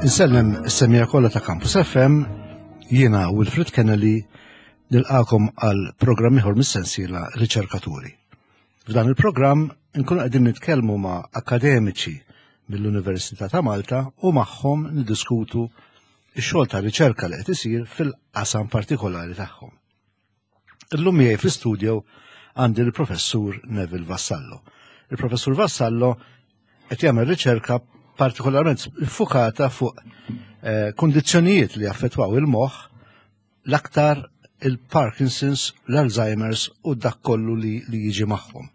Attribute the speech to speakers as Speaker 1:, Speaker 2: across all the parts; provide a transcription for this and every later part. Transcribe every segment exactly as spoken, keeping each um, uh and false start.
Speaker 1: Insellem is-semmiegħa kollha ta' Campus F M, jiena Wilfred Kennedy nilqagħkom għal programm ieħor mis-sensiela Riċerkaturi. F'dan il-programm nkunu qegħdin nitkellmu ma' akademiċi mill-Università ta' Malta u magħhom niddiskutu x-xogħol ta' riċerka li qed isir fil-qasam partikolari tagħhom. Illum miegħi fl-istudio għandi l-Professur Neville Vassallo. Il-Professur Vassallo qed jagħmel riċerka partikolarment iffukata fuq eh, kondizzjonijiet li affettwaw il-moħħ, l-aktar il-Parkinson's, l-Alzheimer's u dak kollu li, li jiġi magħhom.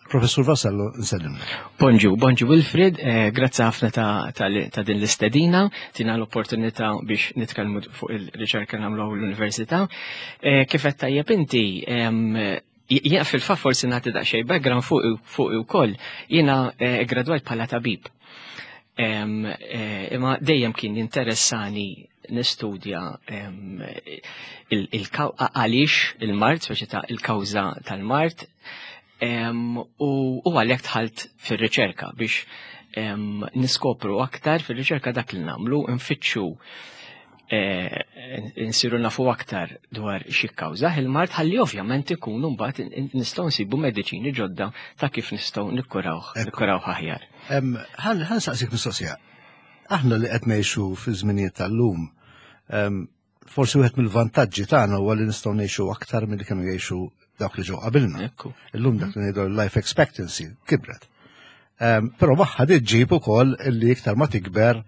Speaker 1: Professur Vassallo, nsellim.
Speaker 2: Bonġu, bonġu Wilfred, eh, grazzi ħafna ta', ta, ta din l-istedina, tina l-opportunità biex nitkellmu fuq il-riċerka nagħmlu l-università. Eh, kif qed tajjeb inti, jien fil-fatt forsi nagħti daqsxejn background fuq fuq ukoll, jiena eh, gradwajt bħala tabib. Eh, imma dejjem kien jinteressani nistudja għaliex il-mard, speċi ta' il-kawża tal-mard, u għalhekk dħalt fir-riċerka biex niskopru aktar. Fir-riċerka dak li nagħmlu nfittxu eh, nsiru nafu aktar dwar xi kawża il-mard ħalli ovvjament ikunu mbagħad nistgħu nsibu mediċini ġodda ta' kif nistgħu nikkuraw nikkuraw aħjar.
Speaker 1: Ħa nsaqsik mistoqsija. Aħna li qed ngħixu fi żminijiet tal-lum, forsi wieħed mill-vantaġġi tagħna huwa li nistgħu ngħixu aktar milli kienu jgħixu dawk li ġew qabilna. Illum dak li ngħidu life expectancy kibret. Però magħha ġġib ukoll illi iktar ma tikber,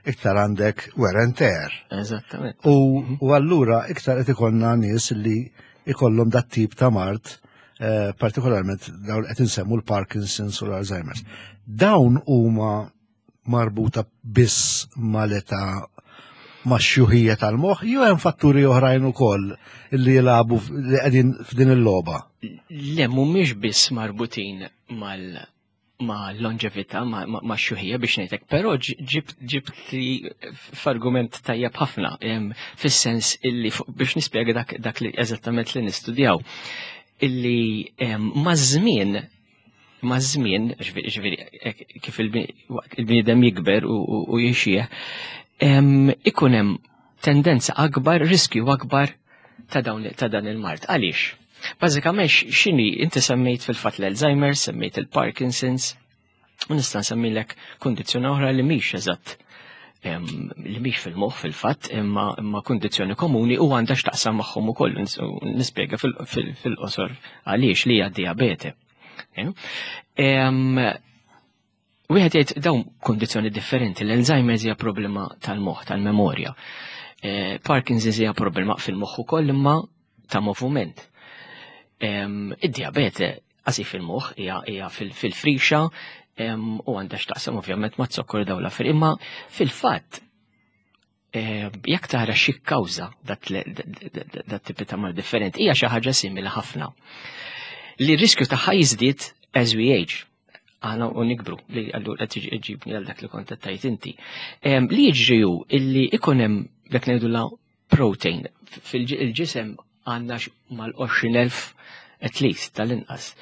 Speaker 1: iktar għandek wear and tear.
Speaker 2: Eżattament.
Speaker 1: U allura iktar qed ikollna nies li ikollhom dat tip ta' mard, eh, partikolarment dawn qed insemmu l-Parkinson's u l-Alzheimer's. Dawn huma marbuta biss mal-età, max-xjuħija tal-moħħ, jew hemm fatturi oħrajn ukoll li jilagħbu li qegħdin f'din il-logħba?
Speaker 2: Le, mhumiex biss marbutin mal ma' longevità, ma', ma, ma xjuħija biex ngħidlek, però ġibt ġibt li f'argument tajjeb ħafna, fis-sens illi biex nispjega dak, dak li eżattament li nistudjaw illi ma' żmien ma' żmien, ġifieri kif il-bniedem jikber u jixjieħ, ikun hemm tendenza akbar, riskju akbar ta' dawn ta' dan il-mard. Għaliex? Bażikament x'inhi, inti semmejt fil-fatt l-Alzheimer, semmejt il-Parkinson's, u nista' nsemmilek kundizzjoni oħra li mhix eżatt li mhix fil-moħħ fil-fatt, imma imma kundizzjoni komuni u għandha x'taqsam magħhom ukoll, nispjega fil-qosor għaliex, li hija diabete. Wieħed jgħid dawn kundizzjoni differenti, l-Alzheimer's hija problema tal-moħħ, tal-memorja. Eh, Parkinson's hija problema fil-moħħ ukoll imma ta' moviment. Id-diabete qasi fil-moħħ, hija fil-frixa u għandha x'taqsam ovvjament ma' zokkor, dawn l-affarijiet. Imma fil-fatt jekk tara xi kawża dat tipi ta' mard differenti, hija xi ħaġa simili ħafna. Li r-riskju tagħha jiżdied as we age. Aħna u nikbru, li allura qed iġibni għal dak li kont tajt inti. Li jiġri hu illi ikun hemm dak ngħidu la protein fil-ġisem, għandna mal-għoxrin elf at least, tal-inqas,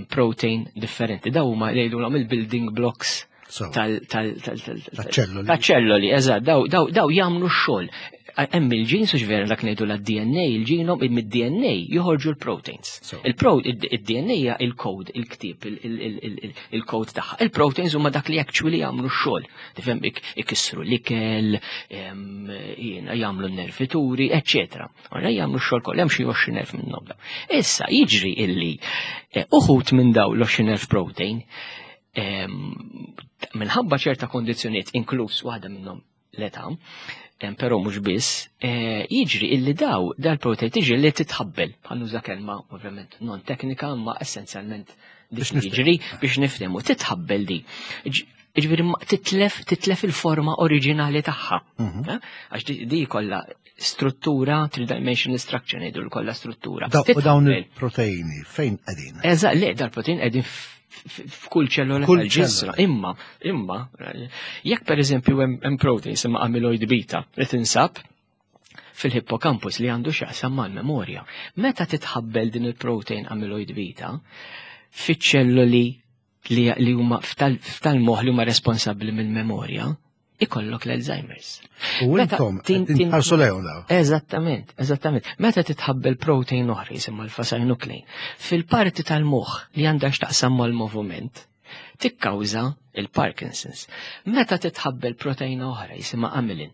Speaker 2: protein differenti. Daw huma li jgħidulhom il-building blocks tal-ċelloli, eżatt, daw daw jagħmlu x-xogħol. Hemm il-ġins, u vera dak ngħidu la D N A, il-ġenom, mid-D N A joħorġu l-proteins. Il-D N A hija il-code, il-ktib, il-code tagħha. Il-proteins huma dak li actually jagħmlu x-xogħol. Tifhem, ikissru l-ikel, jagħmlu n-nervituri, eċċetera. Ora jagħmlu x-xogħol kollha, hemm xi għoxrin elf minnhom. Issa jiġri illi eh, uħud minn daw l-għoxrin elf protein, minħabba ċerta kondizzjonijiet, inkluż waħda minnhom l-età, però mhux biss, eh, jiġri illi daw dal-protein tiġi li titħabbel, bħal nuża kelma ovvjament non teknika, ma essenzjalment dik jiġri biex niftehmu, titħabbel di. Ġifieri titlef titlef il-forma oriġinali tagħha. Mhm. Eh? Għax di kollha struttura, three-dimensional structure ngħidu, kollha struttura.
Speaker 1: U dawn il-proteini fejn qegħdin?
Speaker 2: Eżatt, le, dal-protein qegħdin f'kull ċellola tal-ġisem. Imma, imma, jekk per eżempju hemm protein imma amyloid beta li tinsab fil-hippocampus li għandu x'jaqsam mal-memorja. Meta titħabbel din il-protein amyloid beta fiċ-ċelloli li huma ftal-moħħ li huma responsabbli mill-memorja, ikollok l-Alzheimer's.
Speaker 1: U intom tħarsu lejhom daw.
Speaker 2: Eżattament, eżattament. Meta titħabbel protein oħra jisimha l-alpha-synuclein, fil-parti tal-moħħ li għandha x'taqsam mal-moviment, tikkawża il-Parkinson's. Meta titħabbel proteina oħra jisimha amylin,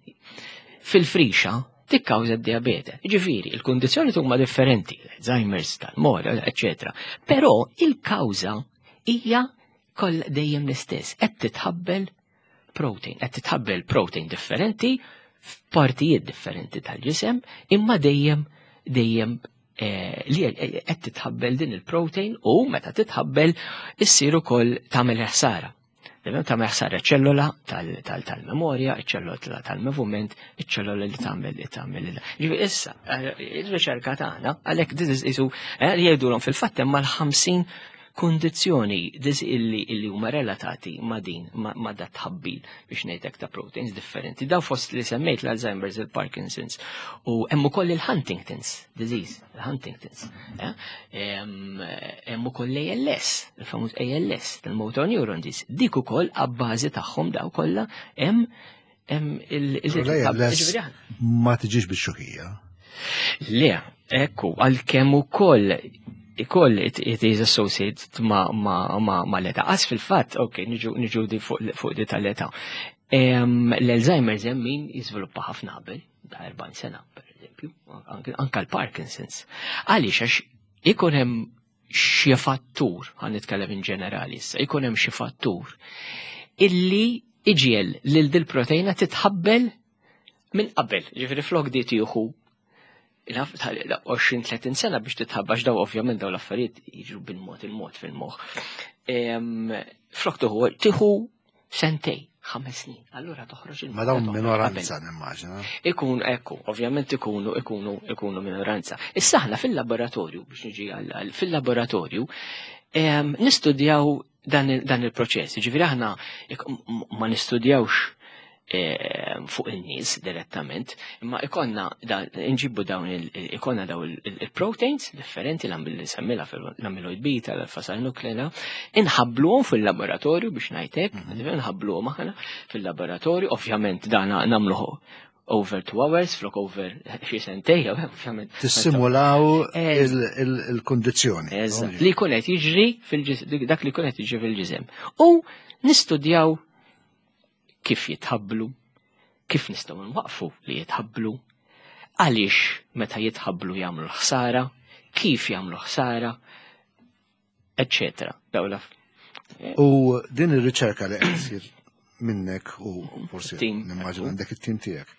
Speaker 2: fil-frixa tikkawża d-diabete. Ġifieri, il-kundizzjoni huma differenti, Alzheimer's, tal-mora, eccetera. Però il-kawża hija koll dejjem l-istess, qed titħabbel protein, qed titħabbel protein differenti f'partijiet differenti tal-ġisem, imma dejjem dejjem eh, li qed titħabbel din il-protein u meta titħabbel issir ukoll tagħmel ħsara. Tagħmel ħsara ċellola tal-memorja, ċellola tal-moviment, iċ-ċellola li tagħmel li tagħmel. Ġifieri issa, eh, il-riċerka tagħna għalhekk isu eh, li jgħidulhom fil-fatt hemm mal-ħamsin kundizzjoni dis illi illi huma relatati ma' din ma' dat tħabbil biex ngħidlek ta' proteins differenti. Daw fost li semmejt l-Alzheimer's, il-Parkinson's u hemm ukoll il-Huntington's disease, il-Huntington's. Eh? Hemm ukoll l-A L S, il-famuż A L S, il-motor neuron disease. Dik ukoll abbażi tagħhom daw kollha hemm hemm il-
Speaker 1: L-A L S ma tiġix bix-xjuħija.
Speaker 2: Le, ekku, għalkemm ukoll ikoll it, it is associated ma, ma, ma, ma l-età. Għas fil-fatt, ok, niġu, niġu di fuq, fuq di tal-età. L-Alzheimer's hemm min jiżviluppa ħafna qabel, da erbgħin sena, per eżempju, anka l-Parkinson's. Għaliex? Għax ikun hemm xi fattur, ħa nitkellem in ġenerali issa, ikun hemm xi fattur illi iġiegħel lil dil proteina titħabbel minn qabel. Ġifieri flok di tieħu għoxrin tletin sena biex titħabbax, daw ovvjament daw l-affarijiet jiġru bil-mod il-mod fil-moħħ. Flok tieħu tieħu sentej, ħames snin. Allura toħroġ il
Speaker 1: Ma dawn minoranza, nimmaġina.
Speaker 2: Ikun, ekku, ovvjament ikunu, ikunu, ikunu minoranza. Issa aħna fil-laboratorju, biex niġi għal fil-laboratorju, nistudjaw dan il-proċess. Ġifieri aħna ma nistudjawx fuq il-nies direttament, imma ikonna nġibbu dawn ikonna daw il-proteins differenti, li semmila l-amyloid beta, l-alpha-synuclein, inħabbluhom fil-laboratorju biex ngħidlek, mhm. inħabbluhom aħna fil-laboratorju, ovvjament dan nagħmluh over two hours, flok over xi sentej, ovvjament.
Speaker 1: Tissimulaw il-kondizzjoni.
Speaker 2: Eżatt, li jkun qed jiġri dak li jkun qed jiġri fil-ġisem. U nistudjaw kif jitħabblu, kif nistgħu nwaqfu li jitħabblu, għaliex meta jitħabblu jagħmlu ħsara, kif jagħmlu ħsara, eccetera. Dawla.
Speaker 1: U din ir-riċerka li qed issir minnek u forsi nimmaġina għandek it-tim tiegħek.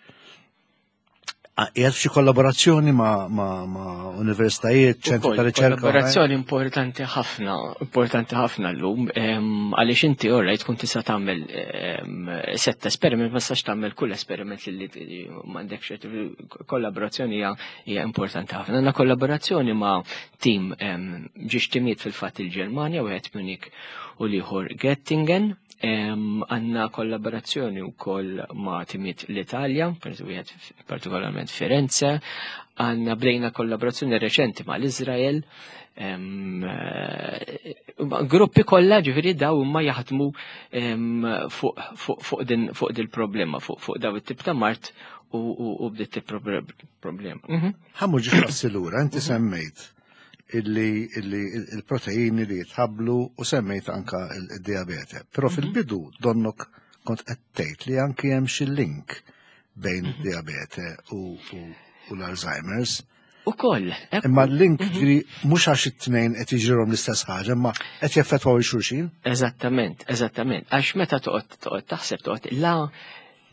Speaker 1: Qiegħed f'xi kollaborazzjoni ma', ma, ma universitajiet, ċentru ta' riċerka?
Speaker 2: Kollaborazzjoni importanti ħafna, importanti ħafna llum, għaliex inti ora tkun tista' tagħmel sett esperiment, ma tistax tagħmel kull esperiment li m'għandekx. Kollaborazzjoni hija importanti ħafna. Għandna kollaborazzjoni ma' tim, żewġ timijiet fil-fatt, il-Ġermanja, wieħed Munich u l-ieħor Göttingen. Għandna kollaborazzjoni wkoll ma' timiet l-Italja, per wieħed partikolarment Firenze, għandna bdejna kollaborazzjoni reċenti ma' l-Izrael, eh, gruppi kollha ġifieri daw huma jaħdmu fuq din fuq dil problema, fuq daw it-tip ta' mard u bdiet tip problema.
Speaker 1: Mhm. Ħa mmur ġie passi lura, inti semmejt illi il-proteini li jitħablu u semmejt anka il-diabete. Però mhm. fil-bidu donnok kont qed tgħid li anki hemm xi link bejn mhm. id-diabete u l-Alzheimer's.
Speaker 2: U koll.
Speaker 1: Imma l-link mhm. ġiri mhux għax it-tnejn qed jiġrilhom l-istess ħaġa, imma qed jaffettwaw il-xulxin.
Speaker 2: Eżattament, eżattament. Għax meta toqgħod toqgħod taħseb toqgħod la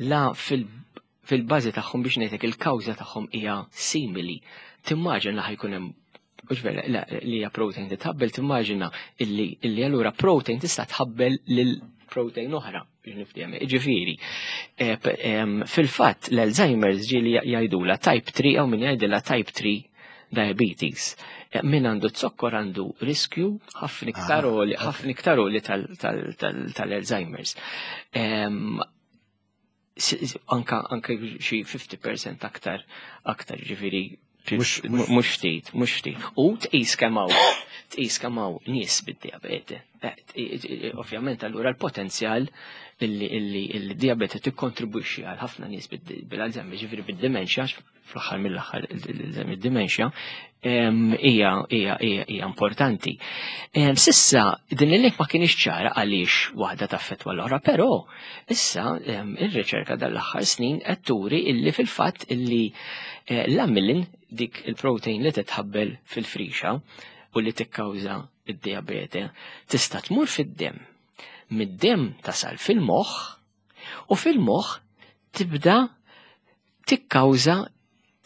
Speaker 2: la fil fil-bażi tagħhom, biex ngħidlek, il-kawża tagħhom hija simili. Timmaġina ħa jkun hemm, mhux vera, li hija protein titħabbel, timmaġina illi illi allura protein tista' tħabbel lil protein oħra biex niftehom. Ġifieri, eh, fil-fatt l-Alzheimer's ġieli jgħidula type three jew min jgħidilha type three diabetes. Eh, min għandu zokkor għandu riskju ħafna iktar ah, ħafna iktar li tal-Alzheimer's. Anka anka xi fifty percent aktar aktar ġifieri. Mhux ftit, mhux ftit. U tqis kemm hawn, tqis kemm hawn nies bid-dijabete. Ovvjament allura l-potenzjal illi il-dijabete tikkontribwixxi għal ħafna nies bil-Alzheimer, ġifieri bid-dementia, fl-aħħar mill-aħħar id-dementia hija hija hija importanti. Sissa din il-link ma kienx ċara għaliex waħda taffettwa l-oħra, però issa ir-riċerka dal-aħħar snin qed turi illi fil-fatt illi l-amylin, dik il-protein li titħabbel fil-frixa u li tikkawża id-dijabete, tista' tmur fid-demm. Mid-demm tasal fil-moħħ u fil-moħħ tibda tikkawża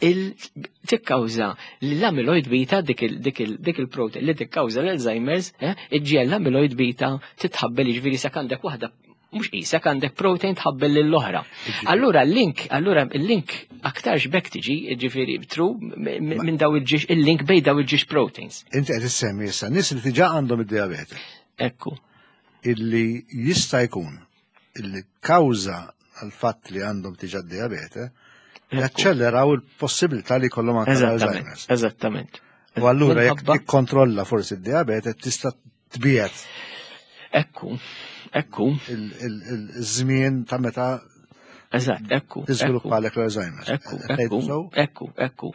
Speaker 2: tikkawża l-amyloid beta, dik il-protein li tikkawża l-Alzheimer's, iġġiegħel l-amyloid beta titħabbel, jiġifieri sa għandek waħda mhux qisek għandek protein tħabbel lill-oħra. Allura l-link, allura l-link aktarx bekk tiġi, jiġifieri tru minn daw il-ġiex, il-link bejn daw il-ġiex proteins.
Speaker 1: Inti qed issemmi issa nies li diġà għandhom id-dijabete.
Speaker 2: Ekku.
Speaker 1: Illi jista' jkun illi kawża għal fatt li għandhom diġà d-dijabete jaċċelleraw il-possibilità li jkollhom anke l-Alzheimer's.
Speaker 2: Eżattament.
Speaker 1: U allura jekk tikkontrolla forsi d-dijabete tista' tbiegħed.
Speaker 2: Ekku. Ekku.
Speaker 1: Il-żmien ta' meta
Speaker 2: Eżatt, ekku.
Speaker 1: Tiżviluppa għalek l-Alzheimer's.
Speaker 2: Ekku, ekku, ekku, ekku.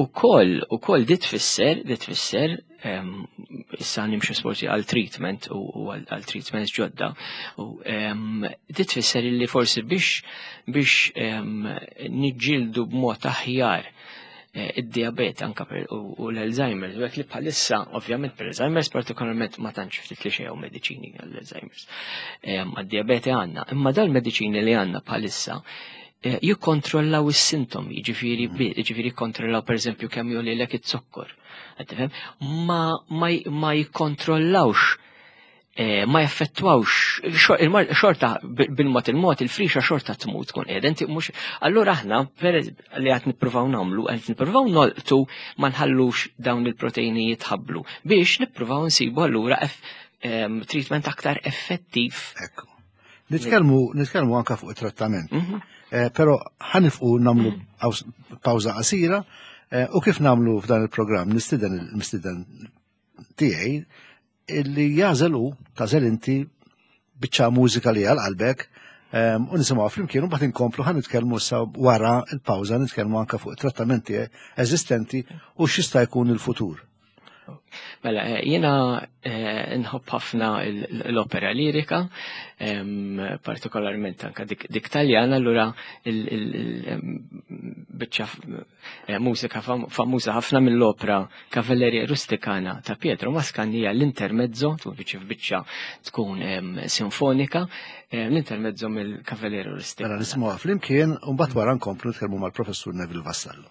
Speaker 2: Ukoll, ukoll dit tfisser, dit tfisser, issa nimxu forsi għal treatment u għal treatments ġodda, u dit tfisser illi forsi biex biex niġġieldu b'mod aħjar id-diabete anka u l-Alzheimer's, u li bħalissa, ovvjament per Alzheimer's partikolarment ma tantx ftit li xejn mediċini għall-Alzheimer's. Għad-diabete għandna, imma dal-mediċini li għandna bħalissa jikkontrollaw is-sintomi, jiġifieri jiġifieri jikkontrollaw pereżempju kemm jogħlilek iz-zokkor. Ma ma jikkontrollawx, ma jaffettwawx, xorta bil-mod il-mod il-frixa xorta tmut tkun qiegħda. Inti mhux, allura aħna li qed nippruvaw nagħmlu, qed nippruvaw nolqtu ma nħallux dawn il-proteini jitħabblu biex nippruvaw nsibu allura treatment aktar effettiv.
Speaker 1: Ekku. Nitkellmu nitkellmu anke fuq it-trattament. Però ħanifqu nagħmlu pawża qasira u kif nagħmlu f'dan il-programm nistieden il-mistieden tiegħi illi jażel u tażel inti biċċa mużika li għal qalbek u nisimgħu flimkien u mbagħad inkomplu ħa nitkellmu issa wara l-pawża nitkellmu anke fuq trattamenti eżistenti u x'jista' jkun il-futur.
Speaker 2: Mela, jiena nħobb ħafna l-opera lirika, partikolarment anka dik Taljana, allura il-biċċa mużika famuża ħafna mill-opera Cavalleria Rusticana ta' Pietro Mascagni hija l-intermezzo, tkun biċċa f'biċċa tkun sinfonika, l-intermezzo mill-Cavalleria Rusticana.
Speaker 1: Mela nisimgħuha flimkien u mbagħad wara nkomplu nitkellmu mal-Professur Neville Vassallo.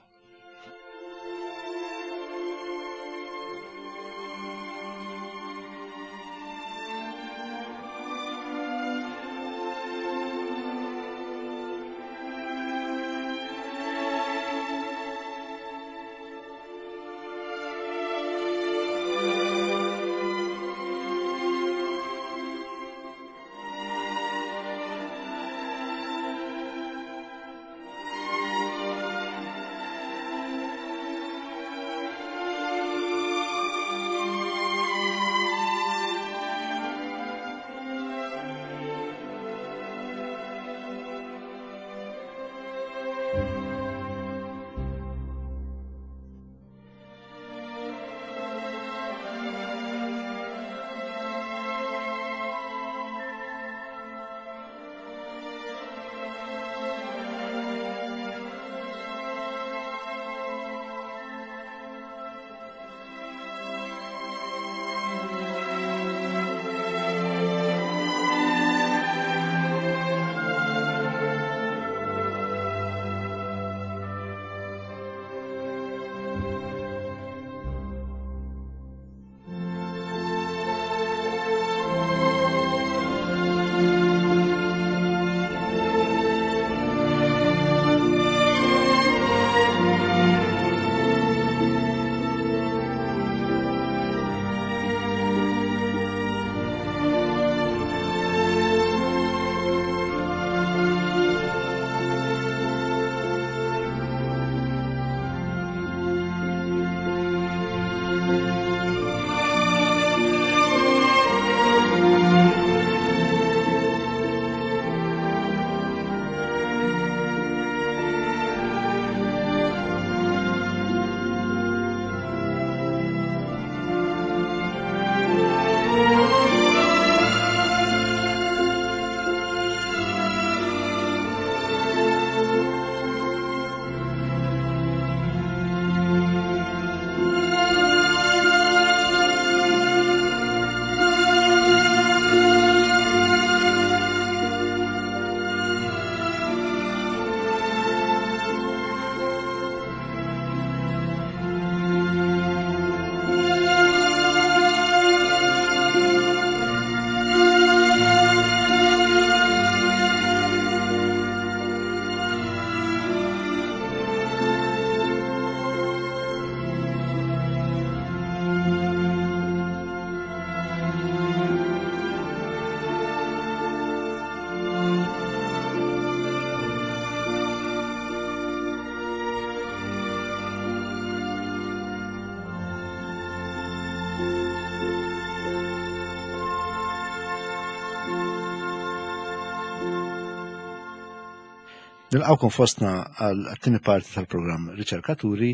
Speaker 1: Nilqgħukom fostna għal tieni parti tal-programm Riċerkaturi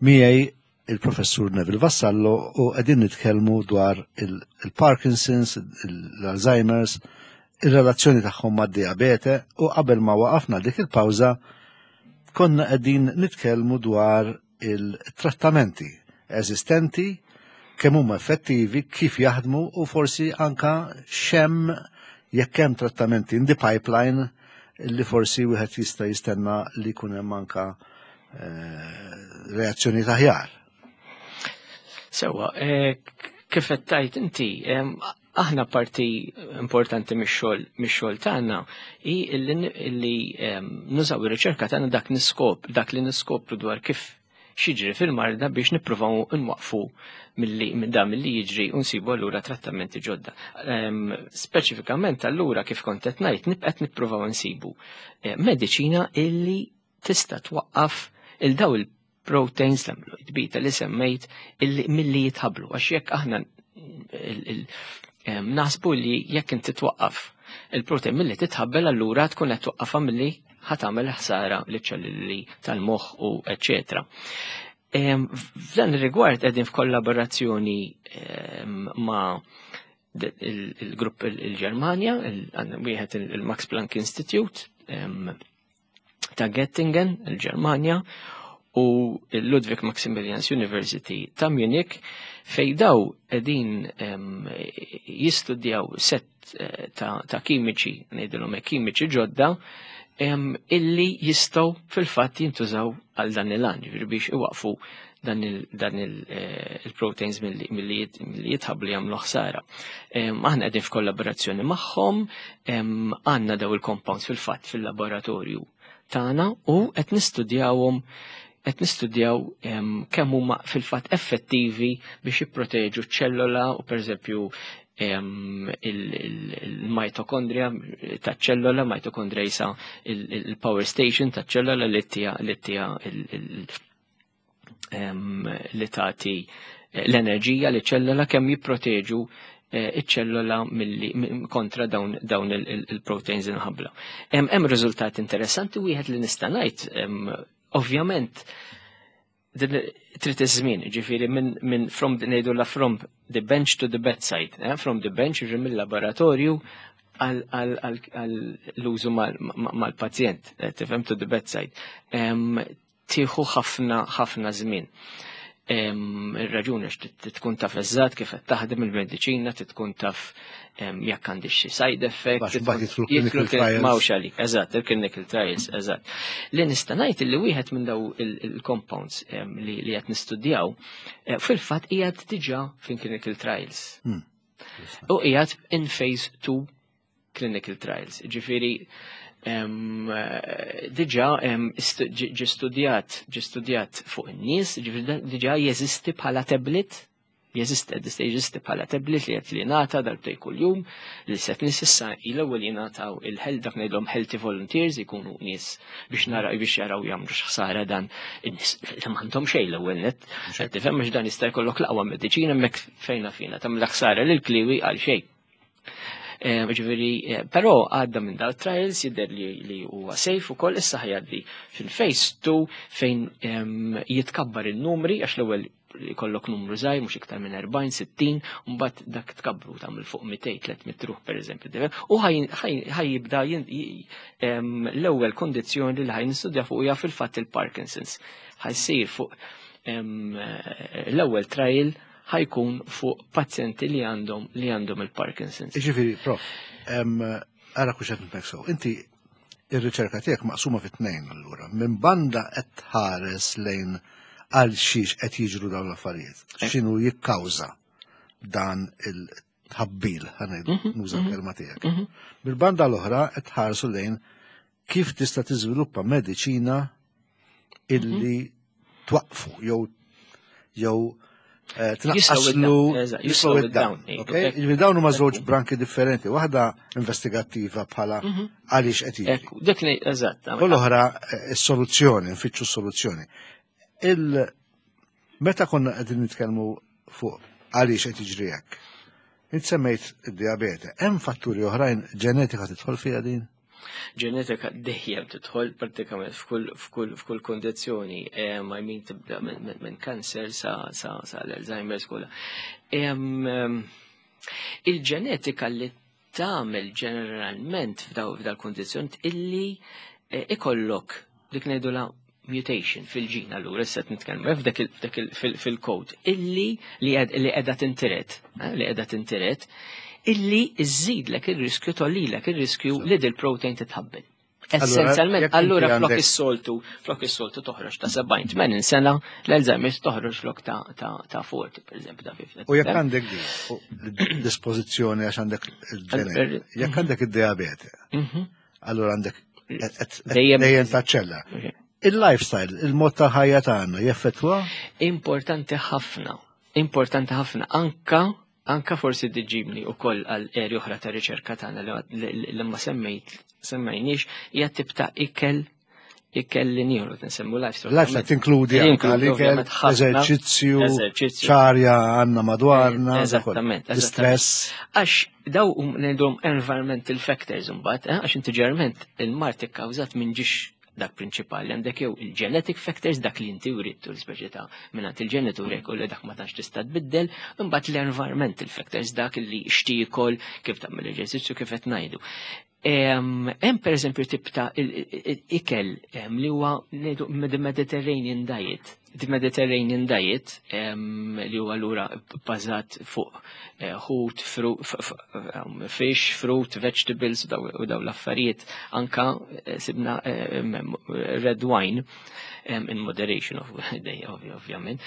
Speaker 1: miegħi il-professur Neville Vassallo u qegħdin nitkellmu dwar il-Parkinson's, l-Alzheimer's, il-relazzjoni tagħhom mad-diabete u qabel ma waqafna dik il-pawża konna qegħdin nitkellmu dwar il-trattamenti eżistenti, kemm huma effettivi, kif jaħdmu u forsi anka x'hemm jekk hemm trattamenti in the pipeline li forsi wieħed jista' jistenna li jkun hemm anka eh, reazzjoni aħjar.
Speaker 2: Sewa, eh, kif qed tgħid inti, aħna parti importanti mix-xogħol mix-xogħol tagħna hi illi nużaw ir-riċerka tagħna dak niskop, dak li niskopru dwar kif x'jiġri fil-marda biex nippruvaw nwaqfu minn dan milli jiġri u nsibu allura trattamenti ġodda. Speċifikament allura kif kont qed ngħid nibqgħet nippruvaw nsibu eh, mediċina illi tista' twaqqaf il daw il-proteins l-amyloid beta li semmejt illi milli jitħablu għax jekk aħna naħsbu li jekk inti twaqqaf il-protein milli titħabbel allura tkun qed twaqqafha milli ħa tagħmel ħsara liċ-ċelluli tal-moħħ u eċetera. F'dan ir-rigward qegħdin f'kollaborazzjoni ma' il-grupp il-Ġermanja, wieħed il-Max Planck Institute ta' Göttingen, il-Ġermanja, u il-Ludwig Maximilians University ta' Munich fej daw qegħdin jistudjaw set eh, ta', ta kimiċi, ngħidilhom kimiċi ġodda, illi jistgħu fil-fatt jintużaw għal dan il-għan, ġifieri biex iwaqfu dan il-proteins eh, milli jitħablu jagħmlu ħsara. Aħna qegħdin f'kollaborazzjoni magħhom, għandna daw il-compounds fil-fatt fil-laboratorju tagħna u qed nistudjawhom qed nistudjaw kemm huma fil-fatt effettivi biex jipproteġu ċ-ċellola u pereżempju il-mitokondria ta' ċellola, mitokondria jisa il-power station ta' ċellola li tija li tija li tagħti l-enerġija li ċellola kemm jipproteġu eh, iċ-ċellola kontra dawn, dawn il-proteins inħabla. Hemm riżultat interessanti wieħed li nista' ngħid, ovvjament trid iż-żmien, ġifieri minn min from ngħidu la from the bench to the bedside, eh? From the bench ġifieri mill-laboratorju għall-użu mal-pazjent, eh, tifhem to the bedside. Tieħu ħafna ħafna żmien. Ir-raġuni għax tkun taf eżatt kif qed taħdem il-mediċina, tkun taf jekk għandix xi side effect. Mawx għalik, eżatt, il-clinical trials, eżatt. Li nista' ngħid li wieħed minn daw il-compounds li qed nistudjaw eh, fil-fatt qiegħed diġà fin clinical trials. Hmm. U qiegħed in phase two clinical trials. Ġifieri diġà ġi studjat ġi studjat fuq in-nies, ġifieri diġà jeżisti bħala tablet, jeżisti jeżisti bħala tablet li qed li ngħata darbtej kuljum li set nies issa l-ewwel jingħataw il-health dak ngħidlhom healthy volunteers ikunu nies biex nara biex jaraw jagħmlu x'ħsara dan in-nies li m'għandhom xejn l-ewwel net. Qed tifhem biex dan jista' jkollok l-aqwa mediċina hemmhekk fejna fina tagħmel ħsara lil kliwi għal xejn. Eh, ġifieri, eh, però għadda minn dal trials jidher li li huwa safe ukoll issa ħa jgħaddi fil-phase two fejn jitkabbar il-numri għax l-ewwel jkollok numru żgħir mhux iktar minn erbgħin, sittin, u mbagħad dak tkabru tagħmel fuq mitejn, tliet mitt ruħ pereżempju. U ħa jibda l-ewwel kondizzjoni li ħa nistudja fuq hija fil-fatt il-Parkinson's. Ħa jsir fuq l-ewwel trial ħa jkun fuq pazjenti li għandhom li għandhom il-Parkinson's.
Speaker 1: Ġifieri, prof, ara kux qed nifhmek Inti ir-riċerka tiegħek maqsuma fi tnejn allura. Minn banda qed tħares lejn għal xiex qed jiġru dawn l-affarijiet. X'inhu jikkawża dan il-tħabbil, ħa ngħidu, mhm, nuża mhm. l-kelma tiegħek. Mhm. Bil-banda l-oħra qed tħarsu lejn kif tista' tiżviluppa mediċina illi twaqfu jew jew eh, tnaqqaslu
Speaker 2: jislow it down.
Speaker 1: Ġifieri dawn huma żewġ branki differenti, waħda investigattiva bħala għaliex qed
Speaker 2: jiġri. Dik li eżatt.
Speaker 1: U l-oħra eh, is-soluzzjoni, nfittxu s-soluzzjoni. Il meta konna qegħdin nitkellmu fuq għaliex qed jiġri hekk. Int semmejt id-diabete, hemm fatturi oħrajn ġenetika tidħol fiha din?
Speaker 2: Ġenetika dejjem tidħol prattikament f'kull f'kull f'kull kondizzjoni, I mean, tibda minn kanser sa sa sa l-Alzheimer's kollha. Il-ġenetika li tagħmel ġeneralment f'daw kundizzjoni illi eh, ikollok dik ngħidula mutation fil-ġin, allura issa nitkellmu f'dak fil-code illi li qiegħda tintiret, eh, li qiegħda tintiret, illi iżidlek ir-riskju, tgħollilek ir-riskju li dil-protein titħabbel. Essenzjalment, allura flok is-soltu, flok is-soltu toħroġ ta' sebgħin tmenin sena, l-Alzheimer's toħroġ flok ta' ta' erbgħin, per eżempju, ta' ħamsin.
Speaker 1: U jekk għandek dispożizzjoni għax għandek il-ġenetika, jekk għandek id-diabete, mhm. allura għandek dejjem taċċella. Il-lifestyle, il-mod ta' ħajja tagħna jeffettwa?
Speaker 2: Importanti ħafna, importanti ħafna, anka anka forsi diġibni u koll għal eri oħra ta' riċerka tagħna li ma semmejt semmejniex, hija tip ta' ikel ikel li nieħdu, nsemmu lifestyle.
Speaker 1: Lifestyle tinkludi l-ikel, eżerċizzju, ċarja għandna madwarna,
Speaker 2: Eżattament.
Speaker 1: Stress.
Speaker 2: Għax daw ngħidhom environmental factors imbagħad, eh, għax inti ġeneralment il-mard ikkawżat minn ġiex dak prinċipali, għandek jew il-genetic factors, dak li inti writtu l-speċi ta' mingħand il-ġenituri u li dak ma tantx tista' tbiddel, imbagħad l-environmental factors, dak li xtiekol, kif tagħmel eżerċizzju, kif qed ngħidu. Hemm pereżempju tip ta' ikel li huwa ngħidu Mediterranean diet. The Mediterranean diet li huwa allura bbażat fuq eh, ħut, fish, fruit, vegetables u daw l-affarijiet, anka eh, sibna red wine in moderation, ovvjament.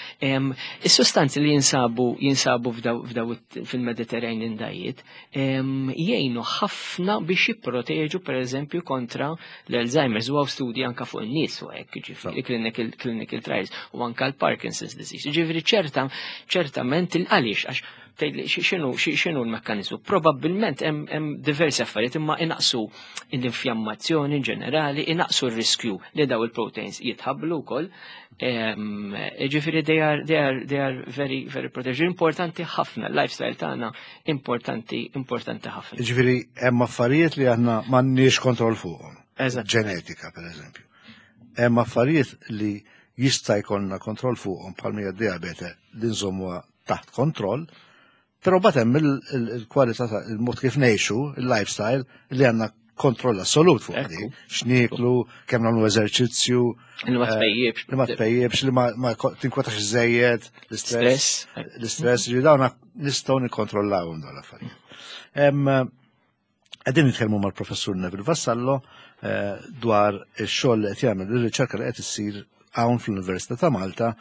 Speaker 2: Is-sustanzi li jinsabu jinsabu f'daw fil-Mediterranean diet jgħinu ħafna biex jipproteġu per eżempju kontra l-Alzheimer's, u studji anka fuq in-nies u hekk, ġifieri clinical clinical trials, u anka l-Parkinson's disease. Ġifieri ċerta ċertament il-għaliex, għax tgħidli x'inhu x'inhu l-mekkaniżmu. Probabbilment hemm diversi affarijiet, imma inaqsu l-infjammazzjoni ġenerali, inaqsu r-riskju li daw il-proteins jitħablu wkoll. Ġifieri they are, they are, they are very, very protected. Importanti ħafna, lifestyle tagħna importanti, importanti ħafna.
Speaker 1: Ġifieri hemm affarijiet li aħna m'għandniex kontroll fuqhom.
Speaker 2: Eżatt.
Speaker 1: Ġenetika, per eżempju. Hemm affarijiet li jista' jkollna kontroll fuqhom, bħal hija diabete li nżommuha taħt kontroll, però mbagħad hemm il-kwalità, il-mod kif ngħixu, il-lifestyle, li għandna kontroll assolut fuq di. X'nieklu, kemm nagħmlu eżerċizzju.
Speaker 2: Li ma tpejjibx.
Speaker 1: Li ma tpejjibx, li ma tinkwetax żejjed, l-istress. L-istress, ġi dawn nistgħu nikkontrollawhom dawn l-affarijiet. Qegħdin nitkellmu mal-professur Neville Vassallo eh, dwar ix-xogħol li qed jagħmel, ir-riċerka li qed issir hawn fl-Università ta' Malta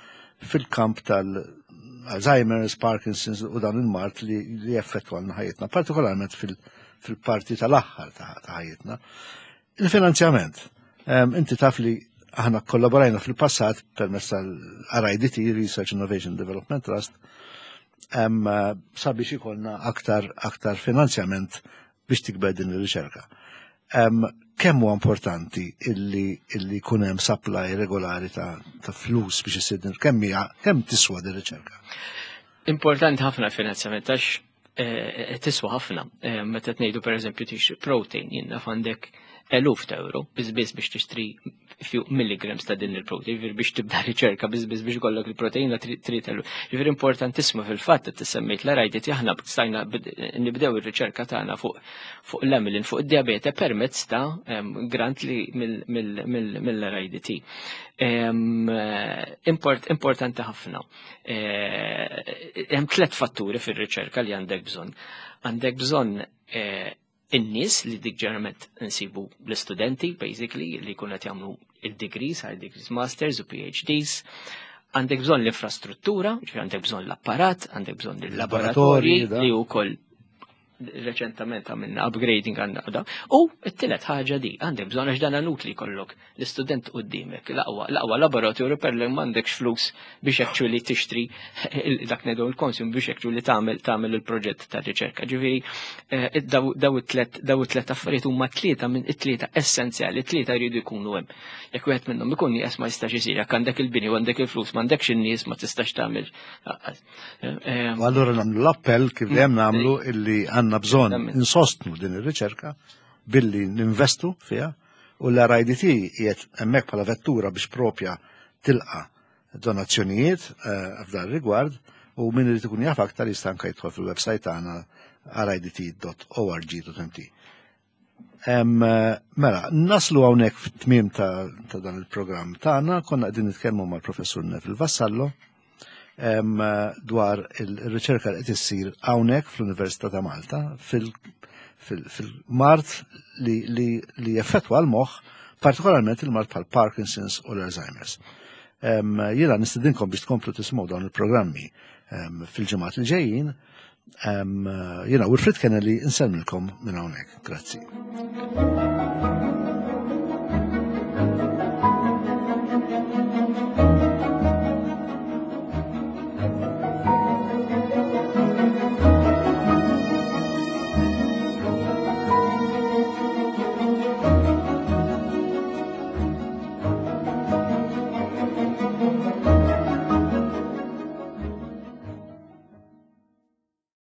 Speaker 1: fil-kamp tal-Alzheimer's, Parkinson's u dan il-mard li jeffettwa ħajjitna, partikolarment fil-parti tal-aħħar ta' ħajjitna. Il-finanzjament. Inti taf li aħna kollaborajna fil-passat permezz tal-R I D T, Research Innovation Development Trust, sabiex ikollna aktar aktar finanzjament biex tikber din ir-riċerka. Kemm huwa importanti illi illi jkun hemm supply regolari ta', ta flus biex isir din, kemm hija, kemm tiswa din ir-riċerka?
Speaker 2: Importanti ħafna l-finanzjament għax eh, tiswa ħafna. Eh, meta tnejdu pereżempju tixtri protein, jien naf għandek eluf ta' euro biss biss biex tixtri few milligrams ta' din il-protein, ġifieri biex tibda riċerka, biss biss biex ikollok il-proteina trid eluf. Ġifieri importantissima. Fil-fatt semmejt l-R I D T, aħna stajna nibdew ir-riċerka tagħna fuq fuq l-amylin, fuq id-diabete, permezz ta' grant li mill-R I D T. Import, importanti ħafna. Eh, hemm tliet fatturi fir-riċerka li għandek bżonn. Għandek bżonn eh, in-nies, li dik ġeneralment nsibu l-istudenti, basically, li jkunu qed jagħmlu il-degrees, higher degrees, masters u P H Ds. Għandek bżonn l-infrastruttura, ġifieri għandek bżonn l-apparat, għandek bżonn il-laboratorji li wkoll reċentament għamilna upgrading għandna da. U t-tielet ħaġa di, għandek bżonn, għax dan inutli jkollok l-istudent qudiemek, l-aqwa l-aqwa laboratorju, per li m'għandekx flus biex actually tixtri dak ngħidu l-consum biex actually tagħmel tagħmel il-proġett ta' riċerka. Ġifieri eh, daw it-tlet daw it-tlet affarijiet huma tlieta minn it-tlieta essenzjali, tlieta jridu jkunu hemm. Jekk wieħed minnhom ikun nieqes, ma jistax isir. Jekk għandek il-bini u għandek il-flus, m'għandekx in-nies, ma tistax tagħmel.
Speaker 1: Eh, U allura nagħmlu l-appell kif dejjem nagħmlu illi għandna bżonn insostnu din ir-riċerka. billi ninvestu fiha, u l-R I D T qiegħed hemmhekk bħala vettura biex propja tilqa donazzjonijiet eh, f'dan rigward, u min irid ikun jaf aktar jista' anke jidħol fil-website tagħna R I D T dot org dot M T. Em, eh, Mela, naslu hawnhekk fit-tmiem ta', ta' dan il-programm tagħna. Konna qegħdin nitkellmu mal-Professur Neville Vassallo em, eh, dwar il-riċerka li qed issir hawnhekk fl-Università ta' Malta fil- fil- fil-mard li, li, li jeffettwa l-moħħ, partikolarment il-mard bħal Parkinson's u l-Alzheimer's. Em, Jiena nistedinkom biex tkomplu tismgħu dawn il-programmi em, fil-ġimgħat li ġejjin. Em, Jiena Wilfred Kennelly insellmilkom minn hawnhekk. Grazzi.